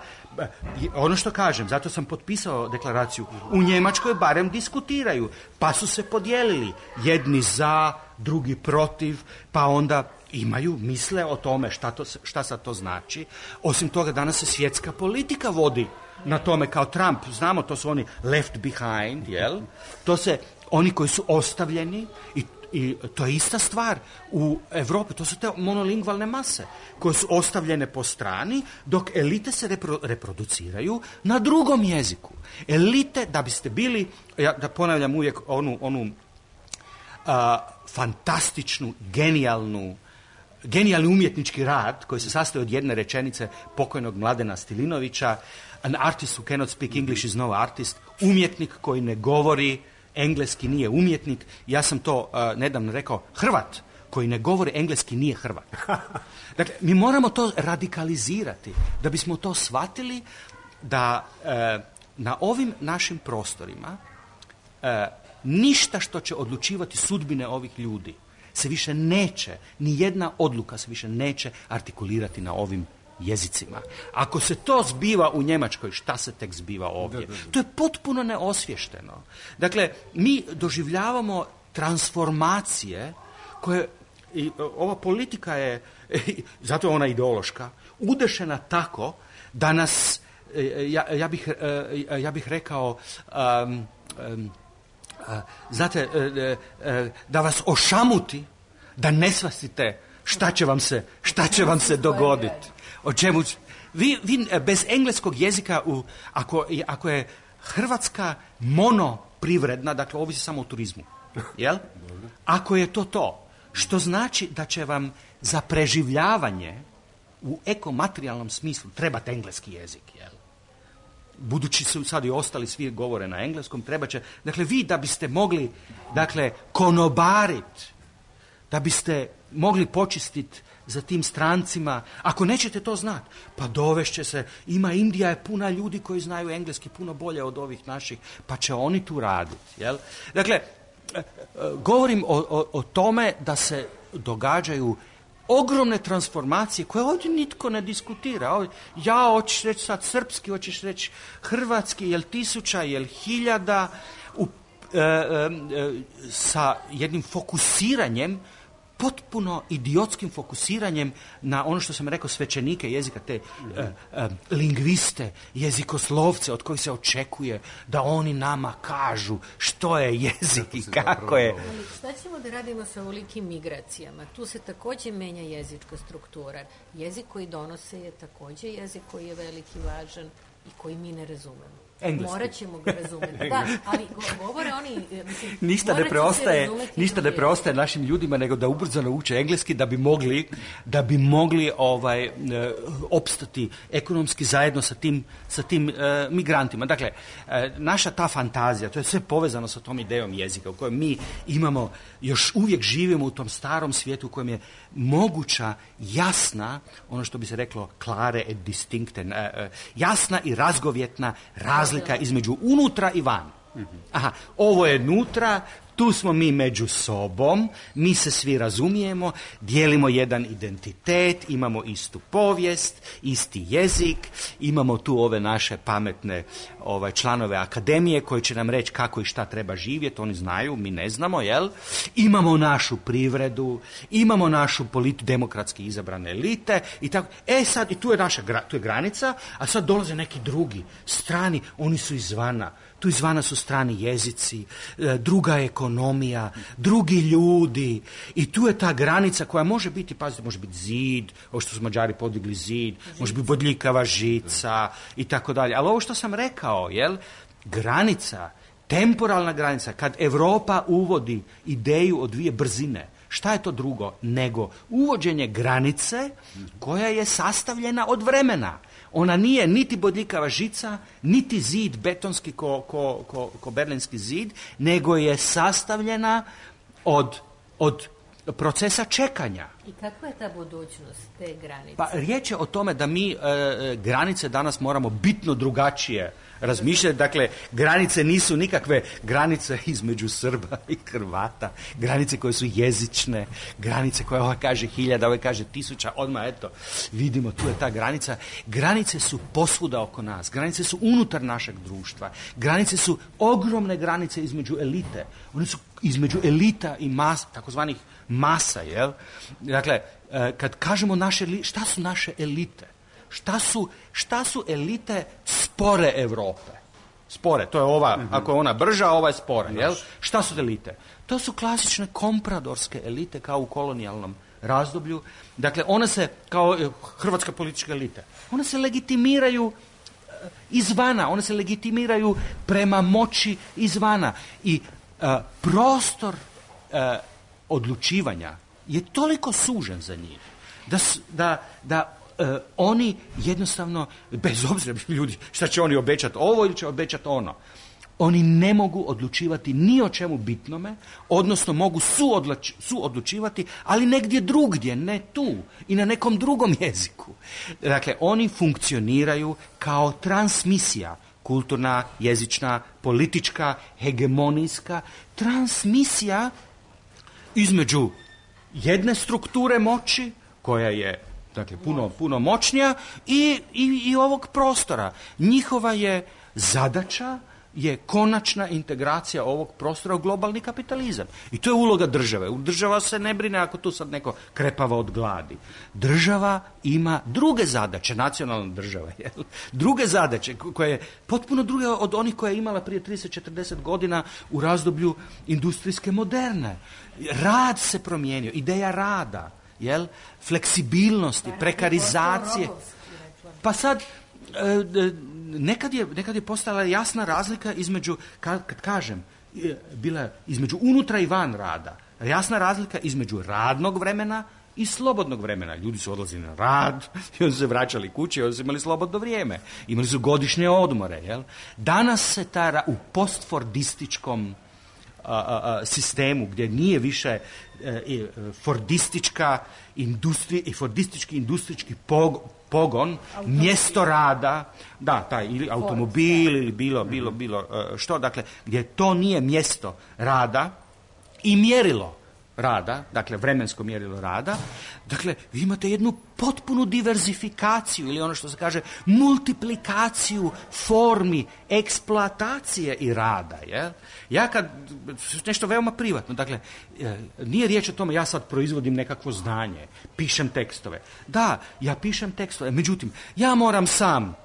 Ono što kažem, zato sam potpisao deklaraciju. U Njemačkoj barem diskutiraju, pa su se podijelili. Jedni za, drugi protiv, pa onda imaju, misle o tome šta, to, šta sad to znači. Osim toga, danas se svjetska politika vodi na tome kao Trump. Znamo, to su oni left behind, jel? To se, oni koji su ostavljeni i I to je ista stvar u Europi, to su te monolingvalne mase koje su ostavljene po strani, dok elite se repro, reproduciraju na drugom jeziku. Elite, da biste bili, ja da ponavljam uvijek onu, onu a, fantastičnu, genijalnu, genijalni umjetnički rad koji se sastoji od jedne rečenice pokojnog Mladena Stilinovića, an artist who cannot speak English is no artist, umjetnik koji ne govori engleski nije umjetnik. Ja sam to uh, nedavno rekao, Hrvat koji ne govori engleski nije Hrvat. Dakle, mi moramo to radikalizirati da bismo to shvatili da uh, na ovim našim prostorima uh, ništa što će odlučivati sudbine ovih ljudi se više neće, ni jedna odluka se više neće artikulirati na ovim jezicima. Ako se to zbiva u Njemačkoj, šta se tek zbiva ovdje? Da, da, da. To je potpuno neosvješteno. Dakle, mi doživljavamo transformacije koje, i ova politika je, zato je ona ideološka, udešena tako da nas, ja, ja, bih, ja bih rekao, um, um, znate, da vas ošamuti, da ne shvatite šta će vam se, šta će vam se dogoditi. O čemu? Vi, vi bez engleskog jezika, u, ako, ako je Hrvatska monoprivredna, dakle ovisi samo o turizmu, jel? Ako je to to, što znači da će vam za preživljavanje u ekomaterijalnom smislu trebati engleski jezik, jel? Budući su sad i ostali svi govore na engleskom, treba će, dakle vi da biste mogli, dakle, konobarit, da biste mogli počistiti za tim strancima, ako nećete to znati, pa dovešće se, ima Indija je puna ljudi koji znaju engleski puno bolje od ovih naših, pa će oni tu raditi, jel? Dakle, govorim o, o, o tome da se događaju ogromne transformacije koje ovdje nitko ne diskutira. Ovdje, ja hoćeš reći sad srpski, hoćeš reći hrvatski, jel tisuća, jel hiljada, u, e, e, sa jednim fokusiranjem, potpuno idiotskim fokusiranjem na ono što sam rekao, svećenike jezika, te uh, uh, lingviste, jezikoslovce od kojih se očekuje da oni nama kažu što je jezik i kako je. Ali šta ćemo da radimo sa ovolikim migracijama? Tu se također menja jezička struktura. Jezik koji donose je također jezik koji je veliki, važan i koji mi ne razumemo. Engleski. Morat ćemo ga razumjeti. Da, ali govore oni... Mislim, ništa ne preostaje, ništa ne preostaje našim ljudima nego da ubrzano uče engleski da bi mogli, da bi mogli ovaj, e, opstati ekonomski zajedno sa tim, sa tim e, migrantima. Dakle, e, naša ta fantazija, to je sve povezano sa tom idejom jezika u kojem mi imamo, još uvijek živimo u tom starom svijetu u kojem je moguća, jasna, ono što bi se reklo klare et distinkte, e, e, jasna i razgovjetna razlika razlika između unutra i van. Aha, ovo je nutra, tu smo mi među sobom, mi se svi razumijemo, dijelimo jedan identitet, imamo istu povijest, isti jezik, imamo tu ove naše pametne ovaj, članove akademije koji će nam reći kako i šta treba živjeti, oni znaju, mi ne znamo, jel? Imamo našu privredu, imamo našu politi- demokratski izabrane elite i tako. E sad, i tu je naša gra- tu je granica, a sad dolaze neki drugi, strani, oni su izvana. Tu izvana su strani jezici, druga ekonomija, drugi ljudi i tu je ta granica koja može biti, pazite, može biti zid, ovo što su Mađari podigli zid, žica. Može biti bodljikava žica i tako dalje. Ali ovo što sam rekao, jel, granica, temporalna granica, kad Europa uvodi ideju o dvije brzine, šta je to drugo nego uvođenje granice koja je sastavljena od vremena. Ona nije niti bodljikava žica, niti zid betonski ko, ko, ko, ko berlinski zid, nego je sastavljena od, od procesa čekanja. I kakva je ta budućnost te granice? Pa riječ je o tome da mi e, granice danas moramo bitno drugačije razmišljati. Dakle, granice nisu nikakve granice između Srba i Hrvata, granice koje su jezične, granice koje ovaj kaže hiljada, ovaj kaže tisuća, odmah eto, vidimo, tu je ta granica. Granice su posvuda oko nas, granice su unutar našeg društva, granice su ogromne granice između elite, one su između elita i mas, takozvanih masa, jel? Dakle, kad kažemo naše, šta su naše elite? Šta su, šta su elite spore Europe? Spore, to je ova, mm-hmm. ako je ona brža, ova je spora, jel? Šta su elite? To su klasične kompradorske elite kao u kolonijalnom razdoblju. Dakle, one se, kao hrvatska politička elita, one se legitimiraju izvana, one se legitimiraju prema moći izvana. I uh, prostor uh, odlučivanja je toliko sužen za njih da, da, da uh, oni jednostavno, bez obzira ljudi, šta će oni obećati ovo ili će obećati ono, oni ne mogu odlučivati ni o čemu bitnome, odnosno mogu suodluč, suodlučivati, ali negdje drugdje, ne tu i na nekom drugom jeziku. Dakle, oni funkcioniraju kao transmisija, kulturna, jezična, politička, hegemonijska, transmisija između jedne strukture moći, koja je, dakle, puno, puno moćnija, i, i, i ovog prostora. Njihova je zadaća je konačna integracija ovog prostora u globalni kapitalizam. I to je uloga države. Država se ne brine ako tu sad neko krepava od gladi. Država ima druge zadaće, nacionalna država, jel? Druge zadaće koje je potpuno druge od onih koje je imala prije trideset četrdeset godina u razdoblju industrijske moderne. Rad se promijenio, ideja rada, jel? Fleksibilnosti, prekarizacije. Pa sad Nekad je, nekad je postala jasna razlika između, kad, kad kažem, bila između unutra i van rada. Jasna razlika između radnog vremena i slobodnog vremena. Ljudi su odlazili na rad, i onda su se vraćali kući, i onda su imali slobodno vrijeme. Imali su godišnje odmore. Jel? Danas se ta u postfordističkom a, a, a, sistemu, gdje nije više e, fordistička industrija i fordistički industrijski pog, pogon, automobil. Mjesto rada, da, taj, ili automobil, ili bilo, bilo, bilo što, dakle, gdje to nije mjesto rada i mjerilo rada, dakle, vremensko mjerilo rada, dakle, vi imate jednu potpunu diverzifikaciju, ili ono što se kaže, multiplikaciju formi eksploatacije i rada, jel? Ja kad, nešto veoma privatno, dakle, nije riječ o tome, ja sad proizvodim nekakvo znanje, pišem tekstove. Da, ja pišem tekstove, međutim, ja moram sam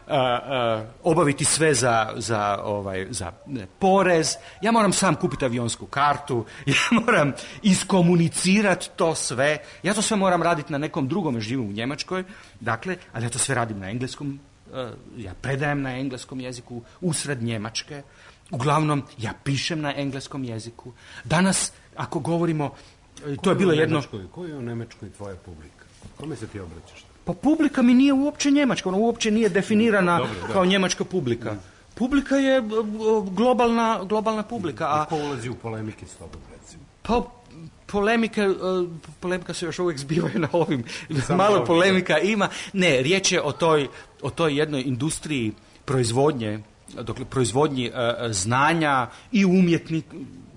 Uh, uh, obaviti sve za, za, ovaj, za ne, porez, ja moram sam kupiti avionsku kartu, ja moram iskomunicirati to sve, ja to sve moram raditi na nekom drugom, jer živim u Njemačkoj, dakle, ali ja to sve radim na engleskom, uh, ja predajem na engleskom jeziku, usred Njemačke, uglavnom ja pišem na engleskom jeziku. Danas, ako govorimo, to je bilo jedno... Koji je u Njemačkoj tvoja publika? Kome se ti obraćaš? Pa publika mi nije uopće njemačka, ona uopće nije definirana dobro, kao njemačka publika. Mm. Publika je globalna, globalna publika. A ko ulazi u polemike s tobom, recimo? Pa polemike, polemika se još uvijek zbivaju na ovim, samo malo polemika da. Ima. Ne, riječ je o toj, o toj jednoj industriji proizvodnje, dokle proizvodnji uh, znanja i umjetnik,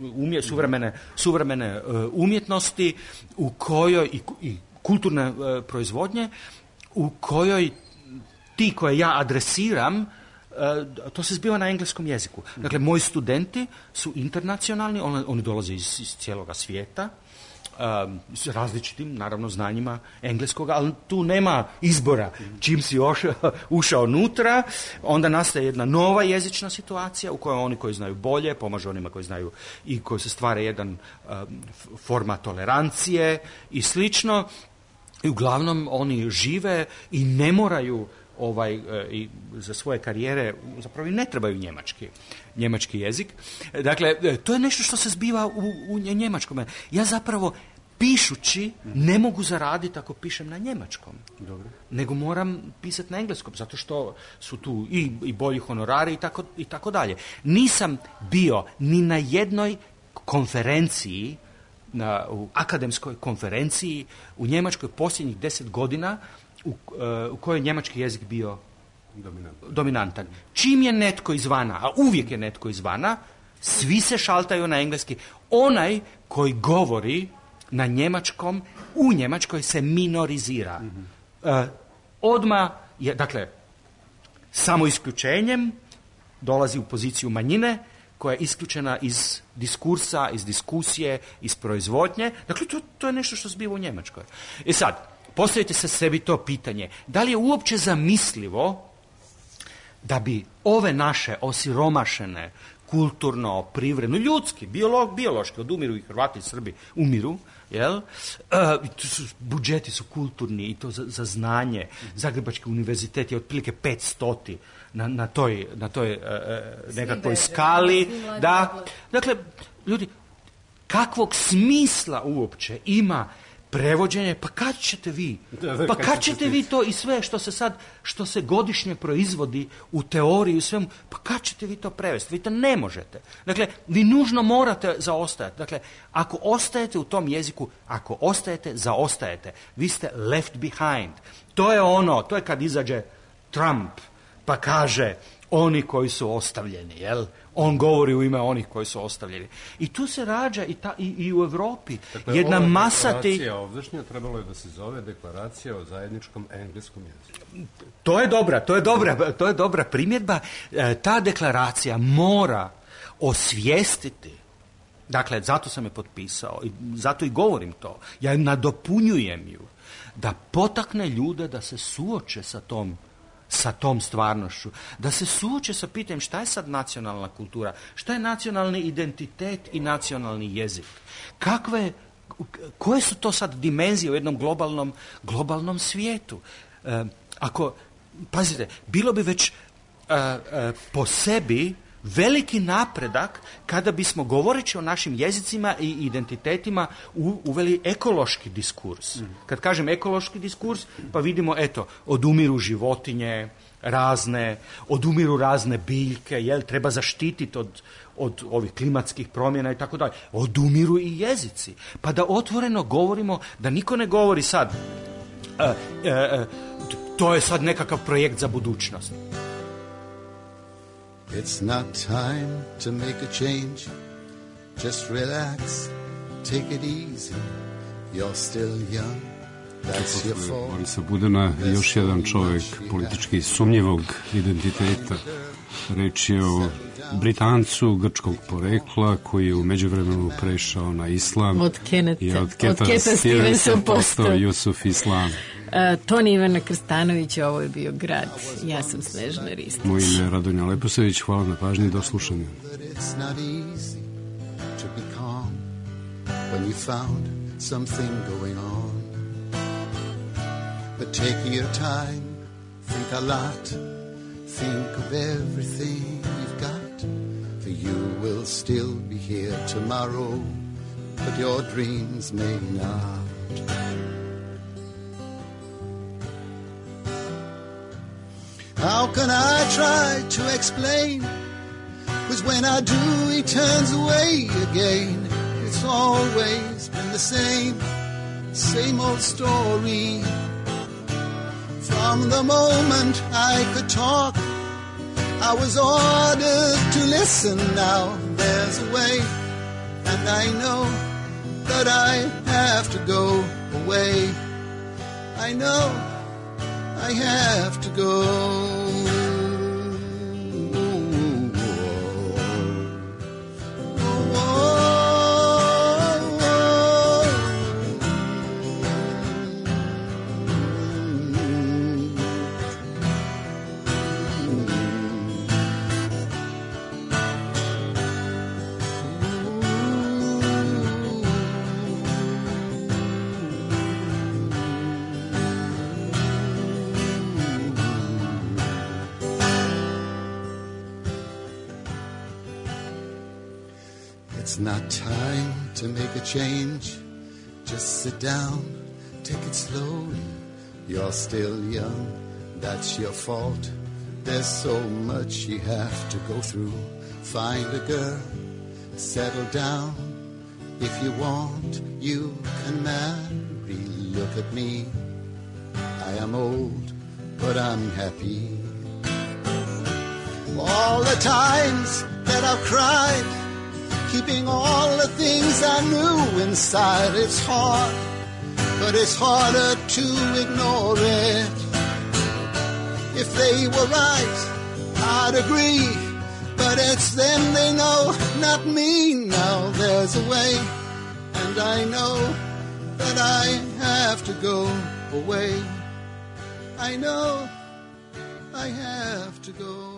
umje, suvremene, suvremene uh, umjetnosti u kojoj i, i kulturne uh, proizvodnje u kojoj ti koje ja adresiram, uh, to se zbiva na engleskom jeziku. Dakle, moji studenti su internacionalni, oni, oni dolaze iz, iz cijeloga svijeta, um, s različitim, naravno, znanjima engleskoga, ali tu nema izbora. Čim si ošao, ušao unutra, onda nastaje jedna nova jezična situacija u kojoj oni koji znaju bolje pomažu onima koji znaju i koji se stvara jedan um, forma tolerancije i slično. I uglavnom oni žive i ne moraju ovaj, e, i za svoje karijere, zapravo i ne trebaju njemački, njemački jezik. Dakle, e, to je nešto što se zbiva u, u njemačkom. Ja zapravo pišući ne mogu zaraditi ako pišem na njemačkom. Dobro. Nego moram pisati na engleskom, zato što su tu i, i bolji honorari i tako, i tako dalje. Nisam bio ni na jednoj konferenciji, na, u akademskoj konferenciji u Njemačkoj posljednjih deset godina u, uh, u kojoj je njemački jezik bio dominantan. dominantan. Čim je netko izvana, a uvijek je netko izvana, svi se šaltaju na engleski. Onaj koji govori na njemačkom, u Njemačkoj se minorizira. Mm-hmm. Uh, odmah je, dakle, samo isključenjem dolazi u poziciju manjine koja je isključena iz diskursa, iz diskusije, iz proizvodnje. Dakle, to, to je nešto što zbiva u Njemačkoj. I sad, postavite se sebi to pitanje. Da li je uopće zamislivo da bi ove naše osiromašene, kulturno, privredno, ljudski, biolog, biološki, odumiru i Hrvati i Srbi, umiru, jel? Uh, su, budžeti su kulturni i to za, za znanje. Zagrebački univerzitet je otprilike petstoti na, na toj, na toj uh, nekakvoj skali. Da. Dakle, ljudi, kakvog smisla uopće ima prevođenje, pa kad ćete vi? Pa kad ćete vi to i sve što se sad, što se godišnje proizvodi u teoriji i svemu, pa kad ćete vi to prevesti? Vi to ne možete. Dakle, vi nužno morate zaostajati. Dakle, ako ostajete u tom jeziku, ako ostajete, zaostajete. Vi ste left behind. To je ono, to je kad izađe Trump, pa kaže oni koji su ostavljeni, jel? On govori u ime onih koji su ostavljeni. I tu se rađa i, ta, i, i u Evropi. Dakle, jedna masa ti... Deklaracija ovdašnja trebalo je da se zove deklaracija o zajedničkom engleskom jeziku. To je dobra, to je dobra, to je dobra primjedba. E, ta deklaracija mora osvijestiti, dakle, zato sam je potpisao i zato i govorim to, ja nadopunjujem ju, da potakne ljude da se suoče sa tom sa tom stvarnošću, da se suoče sa pitanjem šta je sad nacionalna kultura, šta je nacionalni identitet i nacionalni jezik. Kakve, koje su to sad dimenzije u jednom globalnom, globalnom svijetu? E, ako, pazite, bilo bi već e, e, po sebi veliki napredak kada bismo, govoreći o našim jezicima i identitetima, u, uveli ekološki diskurs. Mm. Kad kažem ekološki diskurs, pa vidimo, eto, odumiru životinje razne, odumiru razne biljke, jel, treba zaštititi od, od ovih klimatskih promjena i tako dalje. Odumiru i jezici. Pa da otvoreno govorimo, da niko ne govori sad, uh, uh, uh, to je sad nekakav projekt za budućnost. It's not time to make a change. Just relax, take it easy. You're still young. That's your fault. Borisa Budena, još jedan čovjek politički sumnjivog identiteta. Reč je o Britancu grčkog porekla koji je u međuvremenu prešao na islam. Od Keneta, i od Keta, od Keta Stevensa postao Jusuf Islam. Uh, Toni Ivana Krstanovića, ovo je bio Grad. Ja sam Snežana Ristić. Moje ime je Radonja Leposević, hvala na pažnji i do slušanja. It's not easy to be calm when you found something going on. But take your time, think a lot, think of everything you've got. For you will still be here tomorrow, but your dreams may not. How can I try to explain? 'Cause when I do, he turns away again. It's always been the same, same old story. From the moment I could talk, I was ordered to listen. Now there's a way, and I know that I have to go away. I know I have to go. It's not time to make a change. Just sit down, take it slowly. You're still young, that's your fault. There's so much you have to go through. Find a girl, settle down. If you want, you can marry. Look at me, I am old, but I'm happy. all the times that I've cried, keeping all the things I knew inside. It's hard, but it's harder to ignore it. If they were right, I'd agree, but it's them they know, not me. Now there's a way, and I know that I have to go away. I know I have to go.